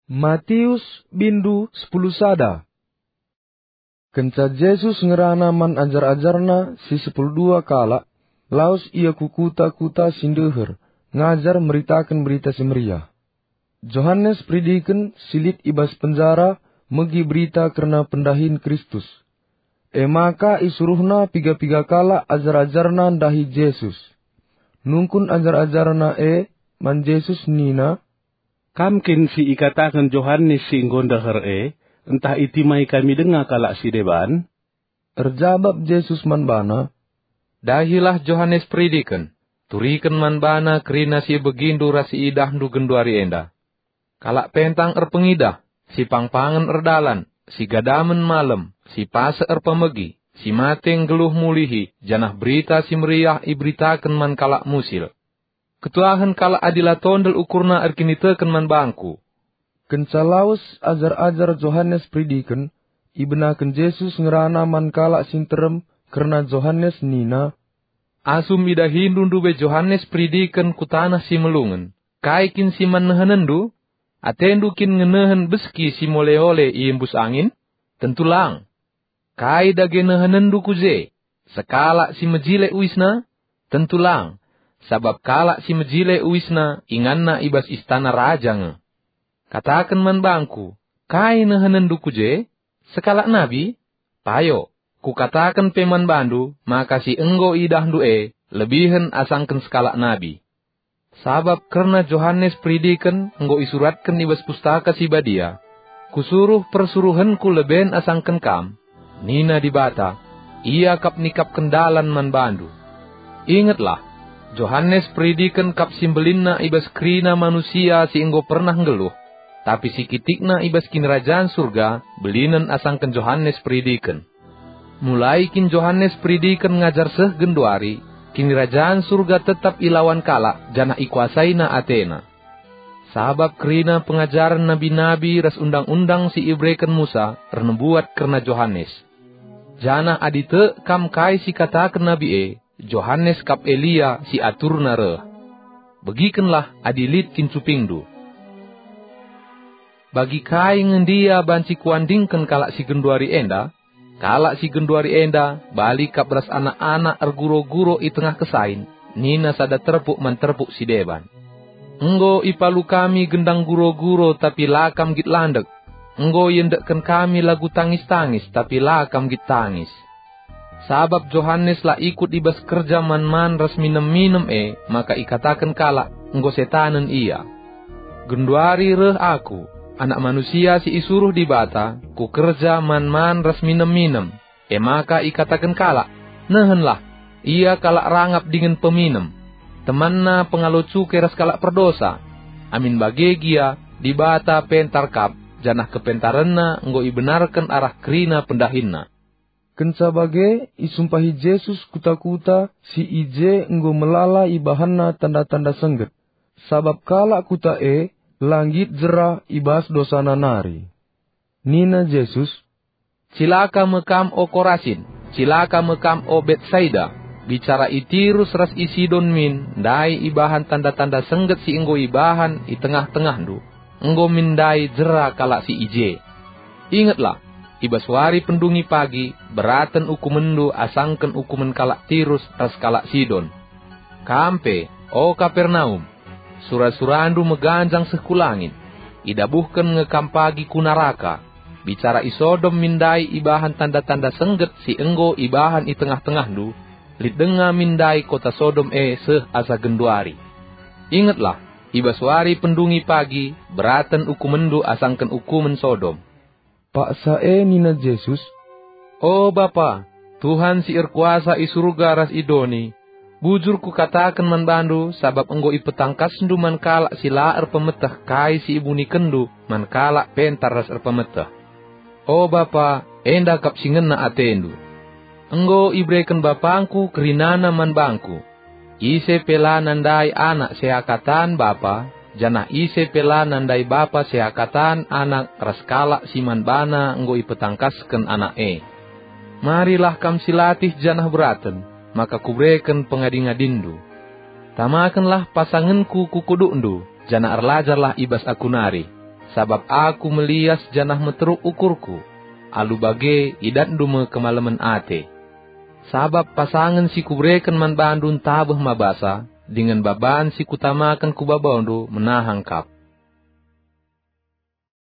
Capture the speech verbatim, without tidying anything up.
Matius bindu sepuluh sada. Kenca Jesus ngerana man ajar-ajarNa si sepuluh dua kalak, lawes Ia ku kuta-kuta si ndeher, ngajar meritaken Berita Si Meriah. Johanes Peridiken si lit i bas penjara megi berita kerna pendahin Kristus. E maka isuruhna piga-piga kalak ajar-ajarNa ndahi Jesus. Nungkun ajar-ajarNa e man Jesus nina, "Kam kin si ikataken Johanes si enggo ndeher e, ntah itimai kami denga kalak si deban?" Erjabap Jesus man bana, "Dahilah Johanes Peridiken, turiken man bana kerina si ibegindu ras si idahndu genduari enda. Kalak pentang erpengidah, si pangpangen erdalan, si gadamen malem, si pasek erpemegi, si mate nggeluh mulihi, janah Berita Si Meriah iberitaken man kalak musil. Ketuahen kalak adi la tondel ukurna erkiniteken man bangKu." Kenca lawes ajar-ajar Johanes Peridiken, ibenaken Jesus ngerana man kalak si nterem kerna Johanes nina, "Asum idahindu ndube Johanes Peridiken ku taneh si melungen, kai kin si man nehenenndu? Atendu kin ngenehen beski si mole-ole iembus angin? Tentu lang! Kai dage nehenenndu ku je? Sekalak si mejile uisna? Tentu lang, sabap kalak si mejile uisna inganna i bas istana raja nge. Kataken man bangKu, kai nehenenndu ku je? Sekalak nabi? Payo, Kukataken pe man bandu maka si enggo idahndu e lebihen asangken sekalak nabi. Sabap kerna Johanes Peridiken enggo isuratken i bas Pustaka Si Badia, 'Kusuruh persuruhenKu leben asangken kam,' nina Dibata, 'Ia kap nikapken dalan man bandu.' Ingetlah, Johanes Peridiken kap si mbelinna i bas kerina manusia si enggo pernah nggeluh, tapi si kitikna i bas Kinirajan Surga belinen asangken Johanes Peridiken. Mulai kin Johanes Peridiken ngajar seh genduari, Kinirajan Surga tetap ilawan kalak janah ikuasaina atena. Sabap kerina pengajaren nabi-nabi ras undang-undang si ibereken Musa ernubuat kerna Johanes. Janah adi tek kam kai si kataken nabi e, Johanes kap Elia si aturna reh. Begikenlah adi lit kin cupingndu. Bagi kai nge ndia banci kuandingken kalak si genduari enda? Kalak si genduari enda bali kap ras anak-anak erguro-guro i tengah kesain, nina sada terpuk man terpuk si deban, 'Enggo ipalu kami gendang guro-guro, tapi la kam nggit landek. Enggo iendekken kami lagu tangis-tangis, tapi la kam nggit tangis.' Sabap Johanes la ikut i bas kerja man-man ras minem-minem e, maka ikataken kalak, 'Enggo setanen ia.' Genduari reh Aku, Anak Manusia si isuruh Dibata, ku kerja man-man ras minem-minem. E maka ikataken kalak, 'Nehenlah, ia kalak rangap dingen peminem. Temanna pengalo cuke ras kalak perdosa.' Amin bage gia, Dibata pentar kap, janah kepentarenNa enggo ibenarken arah kerina pendahinNa." Kenca bage, isumpahi Jesus kuta-kuta si i je enggo melala ibahanNa tanda-tanda sengget, sabap kalak kuta e la nggit jera i bas dosana nari. Nina Jesus, "Cilaka me kam, o Korasin! Cilaka me kam, o Betsaida! Bicara i Tirus ras i Sidon min ndai ibahan tanda-tanda sengget si enggo ibahan i tengah-tengahndu, enggo min ndai jera kalak si i je. Ingetlah, i bas wari pendungi pagi beraten ukumenndu asangken ukumen kalak Tirus ras kalak Sidon. Kam pe, o Kapernaum, sura-surandu meganjang seh ku langit. Idabuhken nge kam pagi ku naraka. Bicara i Sodom min ndai ibahan tanda-tanda sengget si enggo ibahan i tengah-tengahndu, lit denga min ndai kota Sodom e seh asa genduari. Ingetlah, i bas wari pendungi pagi beraten ukumenndu asangken ukumen Sodom." Paksa e nina Jesus, "O Bapa, Tuhan si erkuasa i Surga ras i doni, bujur kukataken man bandu, sabap enggo ipetangkasndu man kalak si la erpemeteh kai si ibunikenndu man kalak pentar ras erpemeteh. O Bapa, enda kap si ngena atendu. Enggo ibereken BapangKu kerinana man bangKu. Ise pe la nandai Anak seakatan Bapa, janah ise pe la nandai Bapa seakatan Anak ras kalak si man bana enggo ipetangkasken Anak e. Marilah kam silatih janah beraten, maka Kubereken pengadi-ngadinndu. Tamakenlah pasangenKu ku kudukndu, janah erlajarlah i bas Aku nari. sabap aku melias janah meteruk ukurku. Alu bage idatndu me kemalemen ate. Sabap pasangen si kubereken man bandu ntabeh mabasa, dingen baban si kutamaken ku babandu menahang kap.